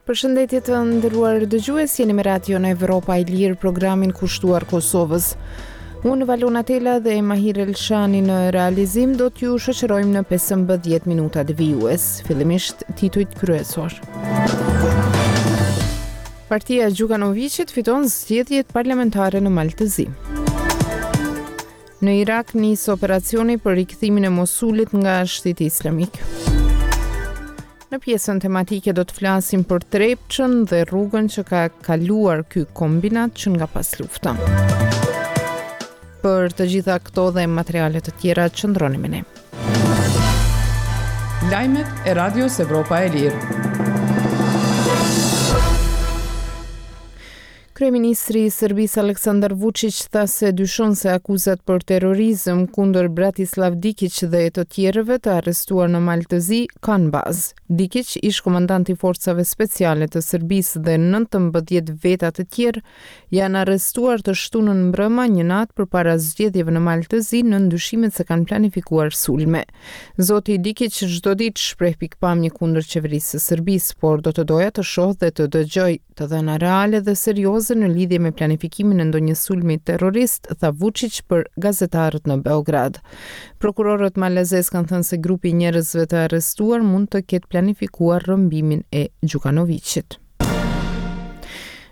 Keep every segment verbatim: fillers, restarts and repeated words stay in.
Përshëndetje të nderuar dëgjues, jeni me Radion Evropa e Lirë, programin kushtuar Kosovës. Unë Valona Tela dhe Mahir Elshani në realizim do t'ju shoqërojmë në pesëmbëdhjetë minutat vijues. Fillimisht titujt kryesor. Partia e Gjukanoviqit fiton zgjedhjet parlamentare në Mal të Zi. Në Irak nis operacioni për rikthimin e Mosulit nga Shteti Islamik. Në pjesën tematike do të flasim për Trepçën dhe rrugën që ka kaluar ky kombinat që nga paslufta. Për të gjitha këto dhe materiale të tjera qëndroni me ne. Lajmet e Radios Evropa e Lirë. Kryeministri i Serbisë Aleksandar Vučić tha se dyshon se akuzat për terrorizëm kundër Bratislav Dikić dhe të tjerëve të arrestuar në Mal të Zi kanë bazë. Dikić, ish komandant i forcave speciale të Serbisë dhe nëntëmbëdhjetë veta të tjerë, janë arrestuar të shtunën mbrëma një natë përpara zgjedhjeve në Mal të Zi nën dyshimet se kanë planifikuar sulme. Zoti Dikić çdo ditë shpreh pikpamje kundër qeverisë së Serbisë, por do të doja të shoh dhe të dëgjoj të dhëna reale dhe serioze në lidhje me planifikimin e ndonjë sulmi terrorist, tha Vučić për gazetarët në Beograd. Prokurorët malazes kanë thënë se grupi i njerëzve të arrestuar mund të ketë planifikuar rrëmbimin e Gjukanoviqit.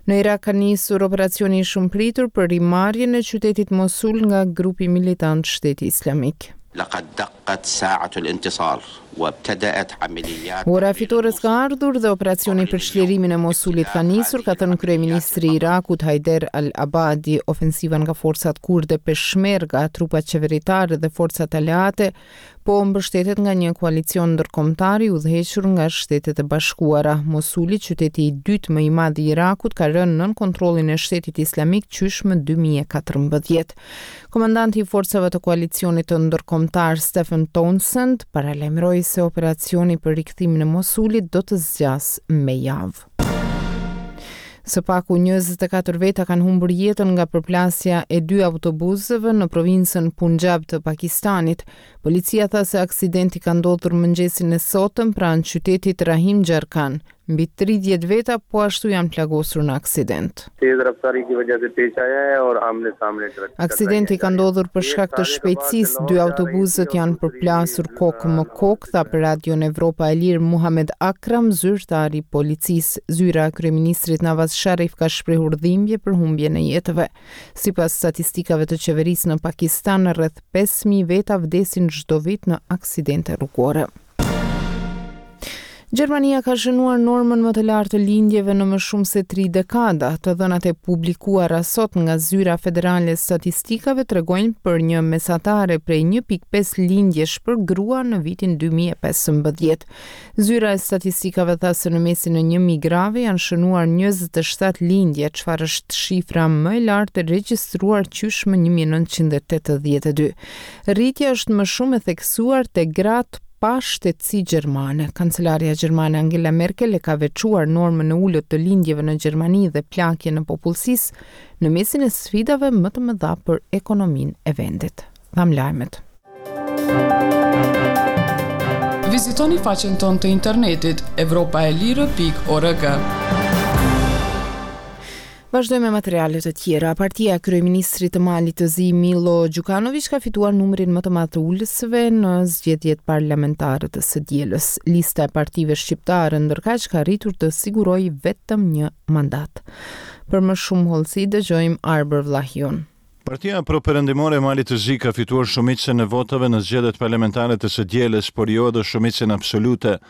Në Irak ka nisur operacioni i shumëpritur për rimarrjen e qytetit Mosul nga grupi militant Shteti Islamik. لقد دقت ساعة الانتصار وابتدأت عمليات Ora e fitores ka ardhur dhe operacioni për çlirimin e Mosulit ka nisur, ka thënë kryeministri i Irakut Haider al-Abadi. Ofensiva nga forcat kurde Peshmerga, trupat qeveritare dhe forcat aleate po mbështetet nga një koalicion ndërkombëtar i udhëhequr nga Shtetet e Bashkuara. Mosuli, qyteti i dytë më i madh i Irakut, ka rënë nën kontrollin e Shtetit Islamik qysh më dy mijë e katërmbëdhjetë. Komandanti i forcave të koalicionit të ndërkombëtar Stephen Townsend paralajmëroi se operacioni për rikthimin e Mosulit do të zgjasë me javë. Së paku njëzet e katër veta kanë humbur jetën nga përplasja e dy autobusëve në provincën Punjab të Pakistanit. Policia tha se aksidenti ka ndodhur mëngjesin e sotëm pranë qytetit Rahim Gjarkan. Mbi tridhjetë veta po ashtu janë plagosur në aksident. Aksidenti ka ndodhur për shkak të shpejtësisë, dy autobusët janë përplasur kokë më kokë, tha për Radion Evropa e Lirë Muhamed Akram, zyrtar i policisë. Zyra e kryeministrit Nawaz Sharif ka shprehur dhimbje për humbjen e jetëve. Sipas statistikave të qeverisë në Pakistan, rreth pesë mijë veta vdesin çdo vit në aksidente rrugore. Gjermania ka shënuar normën më të lartë të lindjeve në më shumë se tri dekada. Të dhënat e publikuara sot nga Zyra Federale e Statistikave tregojnë për një mesatare prej një pikë pesë lindjesh për grua në vitin dy mijë e pesëmbëdhjetë. Zyra e Statistikave tha se në mesin e një mijë grave janë shënuar njëzet e shtatë lindje, çfarë është shifra më e lartë e regjistruar qysh më një mijë e nëntëqind e tetëdhjetë e dy. Rritja është më shumë e theksuar te gratë pa shtetësi gjermane. Kancelarja gjermane Angela Merkel e ka veçuar normën e ulët të lindjeve në Gjermani dhe plakjen e popullsisë në mesin e sfidave më të mëdha për ekonominë e vendit. Dham lajmet. Vizitoni faqen tonë të internetit evropa e lirë pikë org. Vazhdojmë me materiale të tjera. Partia e kryeministrit të Malit të Zi Milo Gjukanović ka fituar numrin më të madh të ulësve në zgjedhjet parlamentare të së dielës. Lista e partive shqiptare ndërkaq ka arritur të sigurojë vetëm një mandat. Për më shumë hollësi dëgjojmë Arbër Vllahiun. Partia pro-perëndimore e Malit të Zi ka fituar shumicën e votave në zgjedhjet parlamentare të së dielës, por jo edhe shumicën absolute.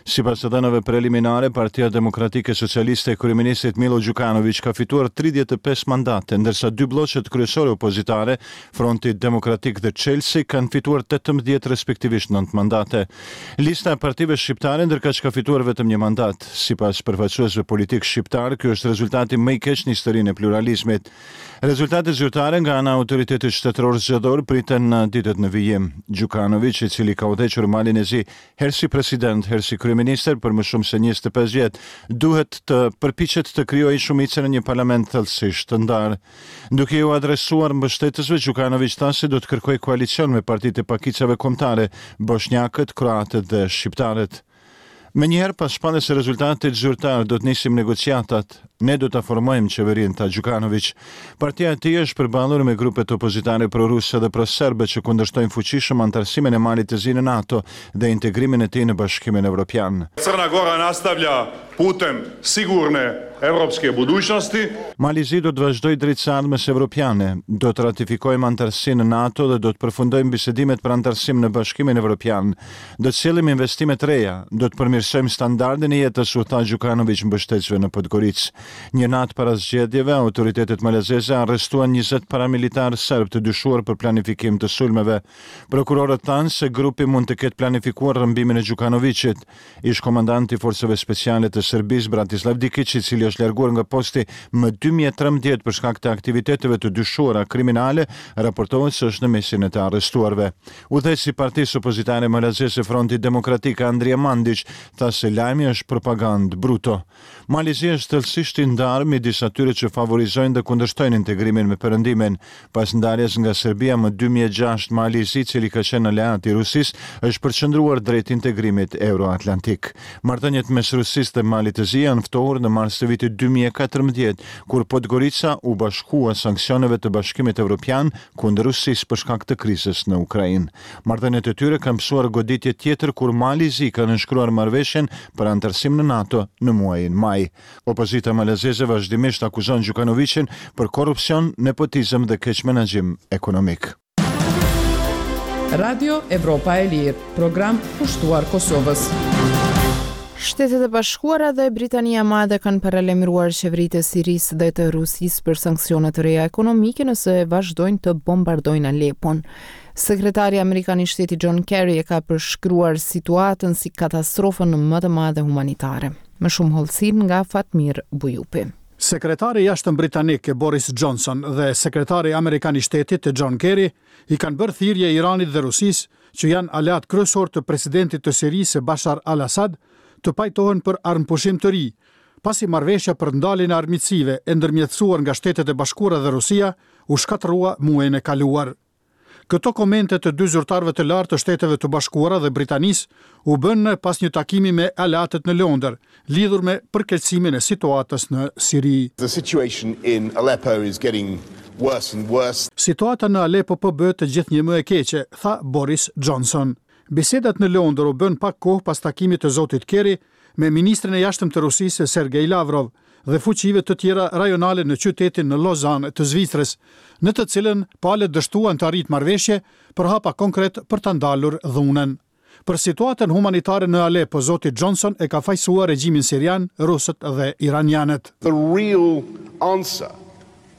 Sipas të dhënave preliminare, Partia Demokratike Socialiste e kryeministrit Milo Gjukanović ka fituar tridhjetë e pesë mandate, ndërsa dy blloqet kryesore opozitare, Fronti Demokratik dhe Chelsea, kanë fituar tetëmbëdhjetë respektivisht nëntë mandate. Lista e partive shqiptare ndërkaq ka fituar vetëm një mandat. Sipas përfaqësuesve politik shqiptar, ky është rezultati më i keq në historinë e pluralizmit. Rezultatet zyrtare nga ana e autoritetit shtetëror zgjedhor priten në ditët në vijim. Gjukanović, i cili ka udhëhequr Malin e Zi herë si president, herë si kryeministër për më shumë se njëzet e pesë vjet, duhet të përpiqet të krijojë shumicën në një parlament thellësisht të ndarë. Duke iu adresuar mbështetësve, Gjukanović tha se do të kërkojë koalicion me partitë e pakicave kombëtare, boshnjakët, kroatët dhe shqiptarët. Menjëherë pas shpalljes së rezultatit zyrtar do të nisim negociatat. Ne do ta formojmë qeverinë, tha Gjukanoviq. Partia e tij është përballur me grupet opozitare pro-ruse dhe pro-serbe që kundërshtojnë fuqishëm anëtarësimin e Malit të Zi në NATO dhe integrimin e tij në Bashkimin Evropian. Crna Gora nastavlja putem sigurne evropske budućnosti. Mali i Zi do të vazhdojë drejt së ardhmes evropiane, do të ratifikojmë anëtarësinë në NATO dhe do të përfundojmë bisedimet për anëtarësim në Bashkimin Evropian. Do të sjellim investime të reja, do të përmirësojmë standardin e jetës, u tha Gjukanoviq mbështetësve në Podgoricë. Një natë para zgjedhjeve, autoritetet malazeze arrestuan njëzet paramilitarë serbë të dyshuar për planifikim të sulmeve. Prokurorët thanë se grupi mund të ketë planifikuar rrëmbimin e Gjukanoviqit. Ish komandanti i forcave speciale të Serbisë, Bratislav Dikic, i cili është larguar nga posti më dy mijë e trembëdhjetë për shkak të aktiviteteve të dyshuara kriminale, raportohet se është në mesin e të arrestuarve. Udhëheqësi i partisë opozitare malazeze Fronti Demokratik Andrija Mandić tha se lajmi është propagandë bruto. Mali i Zi është thellësisht i ndarë midis atyre që favorizojnë dhe kundërshtojnë integrimin me Perëndimin. Pas ndarjes nga Serbia më dy mijë e gjashtë, Mali i Zi, cili ka qenë aleat i Rusisë, është përqendruar drejt integrimit euroatlantik. Marrëdhëniet mes Rusisë dhe Malit të Zi janë ftohur në mars të vitit dy mijë e katërmbëdhjetë, kur Podgorica u bashkua sanksioneve të Bashkimit Evropian kundër Rusisë për shkak të krizës në Ukrainë. Marrëdhëniet e tyre kanë pësuar goditje tjetër kur Mali i Zi ka nënshkruar marrëveshjen për anëtarësim në NATO në muajin maj. Opozita malazeze vazhdimisht akuzon Gjukanoviqin për korrupsion, nepotizëm dhe keqmenaxhim ekonomik. Radio Evropa e Lirë, program kushtuar Kosovës. Shtetet e Bashkuara dhe Britania e Madhe kanë paralajmëruar qeveritë e Sirisë dhe të Rusisë për sanksione të reja ekonomike nëse vazhdojnë të bombardojnë Alepon. Sekretari amerikan i shtetit John Kerry e ka përshkruar situatën si katastrofën më të madhe humanitare. Më shumë hollësi nga Fatmir Bujupi. Sekretari i jashtëm britanik Boris Johnson dhe sekretari amerikan i shtetit John Kerry i kanë bërë thirrje Iranit dhe Rusisë, që janë aleat kryesor të presidentit të Sirisë Bashar al-Assad, të pajtohen për armëpushim të ri, pasi marrëveshja për ndaljen e armiqësive e ndërmjetësuar nga Shtetet e Bashkuara dhe Rusia u shkatërrua muajin e kaluar. Këto komente të dy zyrtarëve të lartë të Shteteve të Bashkuara dhe Britanisë u bënë pas një takimi me aleatët në Londër, lidhur me përkeqësimin e situatës në Siri. The situation in Aleppo is getting worse and worse. Situata në Aleppo po bëhet të gjithë një më e keqe, tha Boris Johnson. Bisedat në Londër u bënë pak kohë pas takimit të zotit Kerry me ministrin e jashtëm të Rusisë Sergej Lavrov dhe fuqive të tjera rajonale në qytetin në Lausanne të Zvicrës, në të cilën palët dështuan të arrijnë marrëveshje për hapa konkret për ta ndalur dhunën. Për situatën humanitare në Aleppo, zoti Johnson e ka fajsuar regjimin sirian, rusët dhe iranianët. The real answer,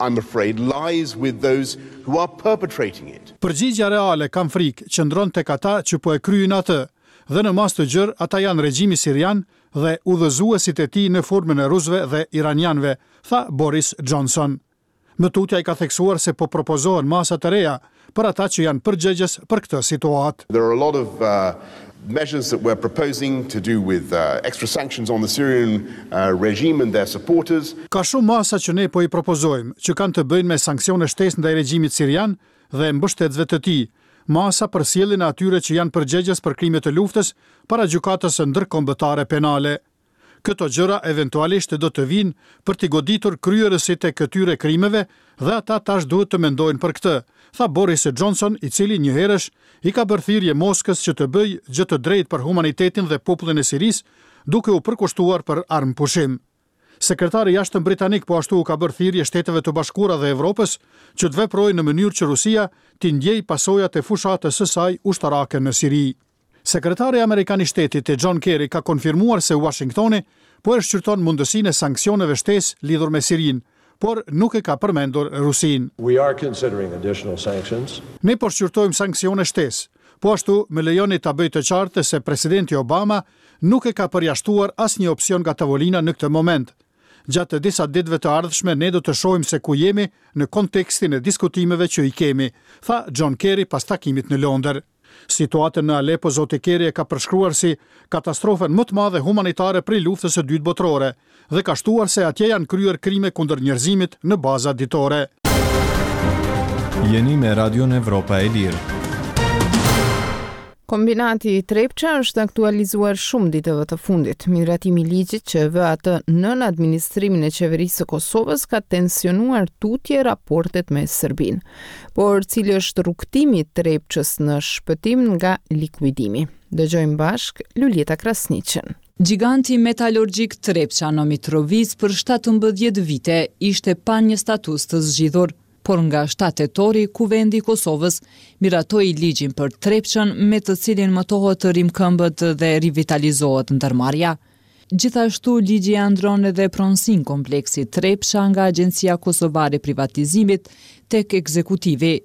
I'm afraid, lies with those who are perpetrating it. Përgjigjja reale, kam frikë, qëndron tek ata që po e kryejnë atë, dhe në masë të gjerë ata janë regjimi sirian dhe udhëzuesit e tij në formën e rusëve dhe iranianëve, tha Boris Johnson. Më tutje ai ka theksuar se po propozohen masa të reja për ata që janë përgjegjës për këtë situatë. There are a lot of, uh, measures that we're proposing to do with, uh, extra sanctions on the Syrian, uh, regime and their supporters. Ka shumë masa që ne po i propozojmë, që kanë të bëjnë me sanksione shtesë ndaj regjimit sirian dhe mbështetësve të tij, masa për sjelljen e atyre që janë përgjegjës për krimet e luftës para gjykatës ndërkombëtare penale. Këto gjëra eventualisht do të vinë për t'i goditur kryerësit e këtyre krimeve dhe ata tash duhet të mendojnë për këtë, tha Boris Johnson, i cili njëherësh i ka bërë thirrje Moskës që të bëjë gjë të drejtë për humanitetin dhe popullin e Sirisë, duke u përkushtuar për armëpushim. Sekretari i jashtëm britanik po ashtu u ka bërë thirrje Shteteve të Bashkuara dhe Evropës që të veprojnë në mënyrë që Rusia t'i ndjejë pasojat e fushatës së saj ushtarake në Siri. Sekretari amerikan i shtetit John Kerry ka konfirmuar se Washingtoni po e shqyrton mundësinë e sanksioneve shtesë lidhur me Sirinë, por nuk e ka përmendur Rusinë. We are considering additional sanctions. Ne po shqyrtojmë sanksione shtesë. Po ashtu, më lejoni ta bëj të qartë se presidenti Obama nuk e ka përjashtuar asnjë opsion nga tavolina në këtë moment. Gjatë disa ditëve të ardhshme ne do të shohim se ku jemi në kontekstin e diskutimeve që i kemi, tha John Kerry pas takimit në Londër. Situatën në Aleppo zoti Kerry e ka përshkruar si katastrofën më të madhe humanitare prej luftës së dytë botërore dhe ka shtuar se atje janë kryer krime kundër njerëzimit në baza ditore. Jeni me Radion Evropa e Lirë. Kombinati i Trepça është aktualizuar shumë ditëve të fundit. Miratimi i ligjit që e vë atë nën administrimin e qeverisë së Kosovës ka tensionuar tutje raportet me Serbinë. Por cili është rrugëtimi i Trepçës në shpëtim nga likuidimi? Dëgjojmë bashkë Luljeta Krasniqen. Gjiganti metalurgjik Trepça në Mitrovicë për shtatëmbëdhjetë vite ishte pa një status të zgjidhur. Por nga shtatë tetori, Kuvendi i Kosovës miratoi ligjin për Trepçën me të cilin mëtohet të rimëkëmbët dhe rivitalizohet ndërmarrja. Gjithashtu, ligji e ndron edhe pronësinë kompleksit Trepça nga Agjencia Kosovare e Privatizimit tek ekzekutivi.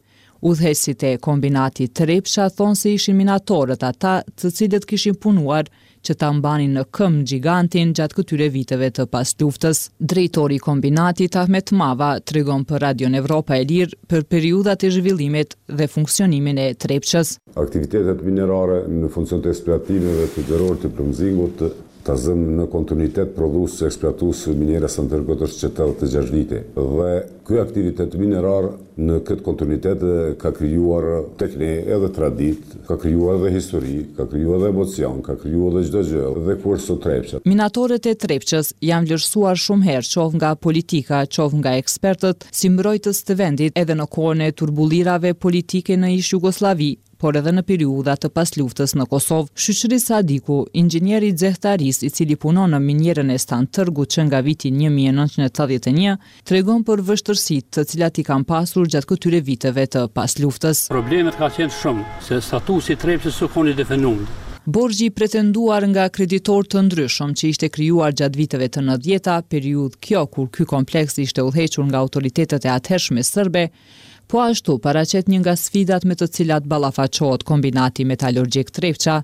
Udhëheqësit e kombinatit Trepça thonë se ishin minatorët ata të cilët kishin punuar që ta mbanin në këmbë gjigantin gjatë këtyre viteve të pasluftës. Drejtori i kombinatit Ahmet Mava tregon për Radion Evropa e Lirë për periudhat e zhvillimit dhe funksionimin e Trepçës. Aktivitetet minerare në funksion të eksploatimeve të gjerorit të plumzingut ta zëmë në kontinuitet prodhues eksploatues minierës së Stantërgut është që tetëdhjetë e gjashtë vite. Dhe ky aktivitet minerar në këtë kontinuitet ka krijuar tek ne edhe traditë, ka krijuar edhe histori, ka krijuar edhe emocion, ka krijuar edhe çdo gjë, dhe ku është sot Trepça. Minatorët e Trepçës janë vlerësuar shumë herë, qoftë nga politika, qoftë nga ekspertët, si mbrojtës të vendit edhe në kohën e turbullirave politike në ish Jugosllavi, por edhe në periudha të pasluftës në Kosovë. Shyqri Sadiku, inxhinier i xehtarisë i cili punon në minierën e Stantërgut që nga viti një mijë e nëntëqind e tetëdhjetë e një, tregon për vështirësitë të cilat i kanë pasur gjatë këtyre viteve të pasluftës. Problemet ka qenë shumë, se statusi i Trepçës s'u kon i definuar. Borxhi i pretenduar nga kreditor të ndryshëm që ishte krijuar gjatë viteve të nëntëdhjeta, periudhë kjo kur ky kompleks ishte udhëhequr nga autoritetet e atëhershme serbe, po ashtu paraqet një nga sfidat me të cilat ballafaqohet kombinati metalurgjik Trepça.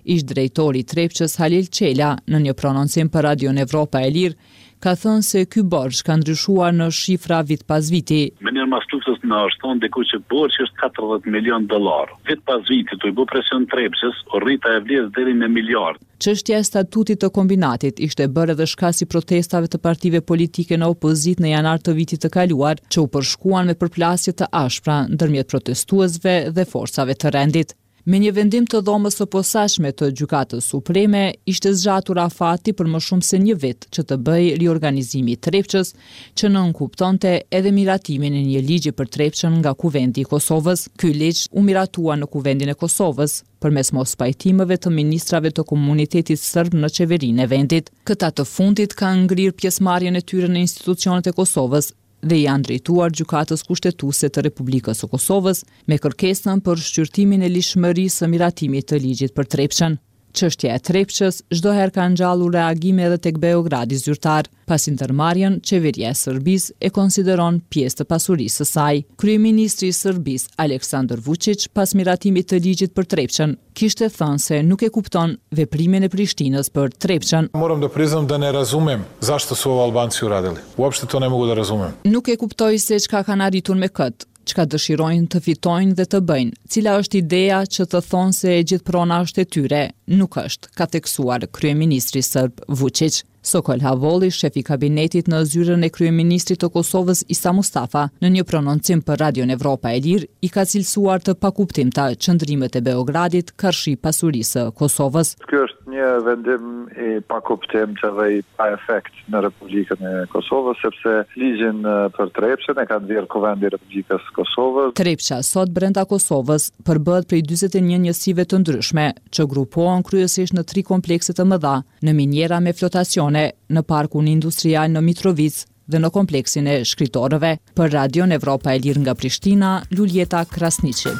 Ish drejtori i Trepçës Halil Çela në një prononcim për Radion Evropa e Lirë ka thënë se ky borxh ka ndryshuar në shifra vit pas viti. Më njëherë mas luftës na është thonë diku që borxhi është katërdhjetë milion dollar. Vit pas viti, tu i bë presion Trepçës, u rrit ajo vlerë deri në miliard. Çështja e statutit të kombinatit ishte bërë edhe shkas i protestave të partive politike në opozitë në janar të vitit të kaluar, që u përshkuan me përplasje të ashpra ndërmjet protestuesve dhe forcave të rendit. Me një vendim të dhomës së posaçme të Gjykatës Supreme, ishte zgjatur afati për më shumë se një vit që të bëjë riorganizimi i Trepçës, që nënkuptonte edhe miratimin e një ligji për Trepçën nga Kuvendi i Kosovës. Ky ligj u miratua në Kuvendin e Kosovës përmes mospajtimeve të ministrave të komunitetit serb në qeverinë e vendit. Këta të fundit kanë ngrirë pjesëmarrjen e tyre në institucionet e Kosovës dhe i janë drejtuar Gjykatës Kushtetuese të Republikës së Kosovës me kërkesën për shqyrtimin e ligjshmërisë së miratimit të ligjit për Trepçën. Çështja e Trepçës çdo herë ka ngjallur reagime edhe tek Beogradi zyrtar, pasi ndërmarrjen qeveria e Serbisë e konsideron pjesë të pasurisë së saj. Kryeministri i Serbisë, Aleksandar Vučić, pas miratimit të ligjit për Trepçën, kishte thënë se nuk e kupton veprimin e Prishtinës për Trepçën. Moram da priznam da ne razumem zašto su ovo Albanci uradili. Uopšte to ne mogu da razumem. Nuk e kuptoj se çka kanë arritur me këtë, çka dëshirojnë të fitojnë dhe të bëjnë, cila është ideja që të thonë se e gjithë prona është e tyre, nuk është, ka theksuar kryeministri serb Vučić. Sokol Havolli, shef i kabinetit në zyrën e kryeministrit të Kosovës Isa Mustafa, në një prononcim për Radion Evropa e Lirë, i ka cilësuar të pakuptimta qëndrimet e Beogradit karshi pasurisë së Kosovës. Ky është një vendim i pakuptimtë dhe i pa efekt në Republikën e Kosovës, sepse ligjin për Trepçën e ka nxjerrë Kuvendi i Republikës së Kosovës. Trepça sot brenda Kosovës përbëhet prej dyzet e një njësive të ndryshme, që grupohen kryesisht në tri komplekse të mëdha, në miniera me flotacione, në parkun industrial në Mitrovicë dhe në kompleksin e shkritorëve. Për Radion Evropa e Lirë nga Prishtina, Luljeta Krasniqi.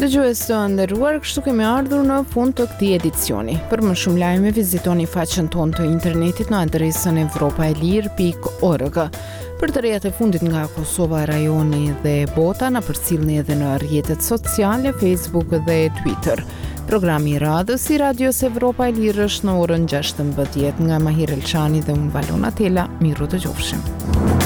Dëgjues të nderuar, kështu kemi ardhur në fund të këtij edicioni. Për më shumë lajme vizitoni faqen tonë të internetit në adresën evropa e lirë pikë org. Për të rejat e fundit nga Kosova, rajoni dhe bota, na përcillni edhe në rrjetet sociale, Facebook dhe Twitter. Programi i radhës i Radios Evropa e Lirë është në orën gjashtëmbëdhjetë nga Mahir Elshani dhe unë Valona Tela. Miru dëgjofshim.